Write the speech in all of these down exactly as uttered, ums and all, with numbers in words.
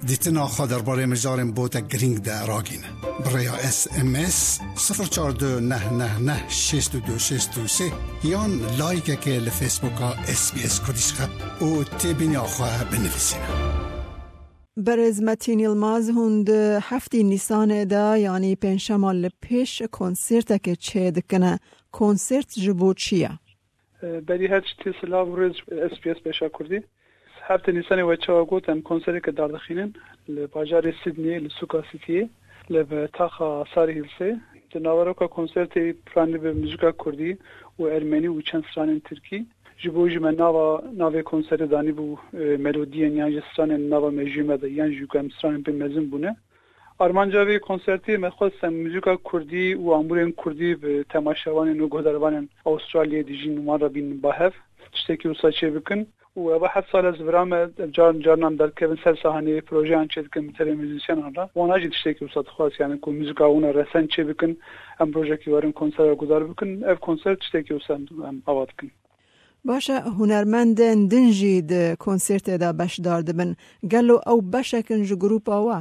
Dîtina xwe derbarê mijarên bo te girîng de ragîne. Bi rêya S M S sifir çar du neh neh neh şêst û du şêst û sê yan layikekê li Facebooka S B S Kurdish xe û têbîniya xwe binivîsîne. Berêz Metîn Yilmaz, hûn di heftê Nîsanê de, yanî pêncşema li pêş konsertekê çêdikine. Konsert ji bo çi ye? Berî her tiştî silav û rêz S B S Beşa Kurdî. Heftê Nîsanê we çawa got, em konsereke dardixînin li bajarê Sydneyê, li sûka Cityê, li bi taxa Surry Hillsê. Di naveroka konsertê piranî bi muzîka kurdî û ermenî û çend stranên tirkî. Ji bo jî me nava, navê konserê danîbû, e, melodiyên yan jî stranên nava mejiyê me de, yan jî ku em stranên pê mezin bûne. Armanca vê konsertê me xwest em muzîka kurdî û amûrên kurdî bi temaşevanên û guhdarvanên Avustralyayê dijîn wan re bînin ba hev, tiştekî wisa çê bikin. Û eva heft sal ez vira me, car, carna em derkevin ser sahneyê, projeyan çê dikin bi televîzyonan re. Wana jî tiştekî wisa dixwest, yani ku muzîka wana resen çê bikin, em rojekî werin konsera guhdar bikin. Ev konser tiştekî wisa em, em ava dikin. Baş e, hunermendên din jî di konsertê de beşdar dibin. Gelo ew beşek in ji grûpa we?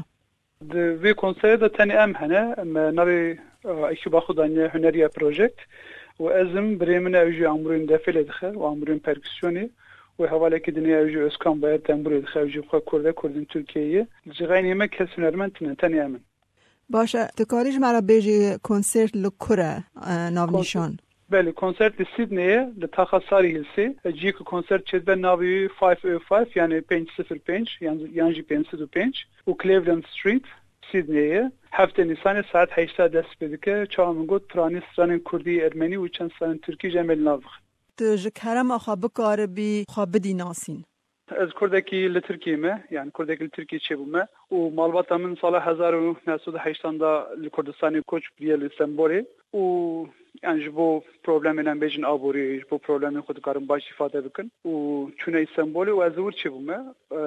Di vê konserê de tenê em hene. Me navê, e, ekîba xwe daniye Huneriye Project û ez im, birê min e, ew jî amûrên defê lê dixe û amûrên perkûsyonê û hevalekî din e, ew jî Özkan Bayar tembûrê dixe, ew jî bi xwe Kurd e, Kurdên Tirkiyeyê ye. Li cixeynê me kes hunermend tune, tenê em in. Baş e, tu karî ji me re bêjî konsert li kur e, e, navnîşan? Belê, konsert li Sydneyê, li taxa Surry Hillsê. Ciyê ku konsert çêdibe navê wî five oh five, yani pênc sifir pênc, yan, yan jî pênc sed û pênc û Cleveland Street, Sydneyê. Heftê Nîsanê saet heşta dest pê dike. Çawa min got, piranî stranên kurdî, ermenî û çend stranên tirkî jî em ê li nav bixin. Tu ji kerema xwe bikaribî xwe bidî nasîn? Ez Kurdekî li Tirkiyê me, yani Kurdekî li Tirkiyê çêbûme û malbata min sala hezar û neh sed û heştan de li Kurdistanê koç kiriye li Stenbolê û, yani, ji bo problemên, em bêjin, aboriyê, ji bo problemên xwe dikarin baş îfade bikin û çûne Stenbolê û ez li wir çêbûme. E,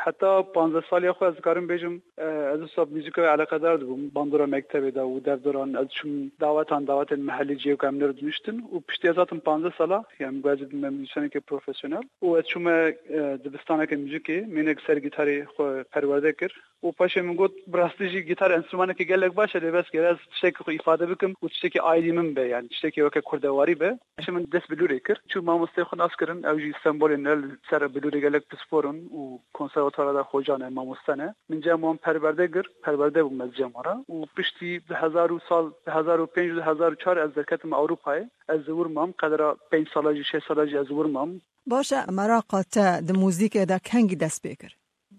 heta panzdeh saliya xwe ez dikarim bêjim, e, ez wisa bi muzîka eleqedar dibûm, bandora mektebê de û devdoran, ez çûm dawetan, dawetên mehellî, cihê ku em li wir diniştin û piştî ez hatim panzdeh sala, yani, ku ez dibime muzîsyenekê profesyonel û ez çûme, e, dibistaneke muzîkê, mênek ser gîtarê xwe perwerde kir û paşê min got, bi rastî jî gîtar enstrûmanekî gelek baş e, lê bes gere ez tiştekî xwe îfade bikim û tiştekî aîdî min be, yani tiştekî weke kurdewarî be. Paşê min dest bi lûrê kir. Çû mamosteyê xwe nas kirin, ew jî Stenbolê ne, li ser bilûrê gelek pispor in û konservatwara de xoca ne, mamoste ne. Min cem wan perwerde kir, perwerde bûm ez cem wan re û piştî di hezar û sal, di hezar û pênc û di hezar û çar ez derketim Ewropayê. Ez li wir mam, qedra pênc sala jî, şeş sala jî ez li wir mam. Baş e, meraqa te di muzîkê de kengî dest pê kir?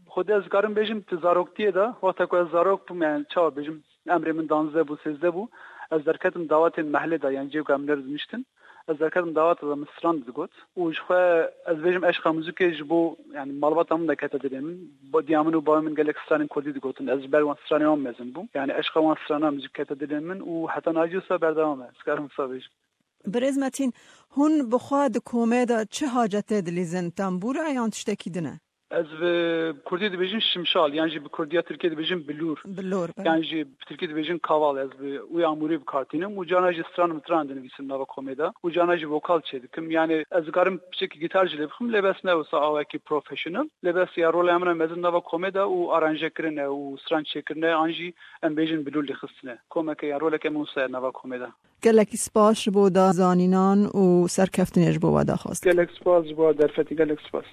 Xwedê ez dikarim bêjim, di zaroktiyê de, wexta ku ez zarok bûm, yani çawa bêjim, emrê min danzdeh bû, sêzdeh bû, ez derketim dawetên mehlê de, yani cihê ku em li wir diniştin. Ez derketim daweta de, min stran digot û ji xwe ez bêjim eşqa muzîkê ji bo, yani malbata min de kete dilê min. Bo diya min û bavê min gelek stranên kurdî digotin. Ez ji ber wan stranê wan mezin bûm. Yani eşqa wan strana muzîk kete dilê min û heta niha jî wisa berdewam e. Ez dikarim wisa bêjim. Birêz Metîn, hûn bi xwe di komê de çi hacetê dilîzin? Tembûr e yan tiştekî din e? Ez bi kurdî dibêjin şimşal, yan jî bi kurdiya tirkiyê dibêjin bilûr. Bilûr, belê. Yan jî bi tirkî dibêjin kaval. Ez bi wî amûrî bi kar tînim û carna jî stran mitran dinivîsim nava komê de û carna jî vokal çêdikim. Yani ez dikarim piçekî gîtar jî lê bixim, lê bes ne wisa awekî professional. Lê bes ya rola min e mezin nava komê de û aranje kirine û stran çêkirine, an jî em bêjin bilûr lêxistine. Komeke ya roleke min wisa ye nava komê de. Gelekî spas ji bo da zanînan û serkeftinê ji bo we daxwaz. Gelek spas ji bo derfetî, gelek spas.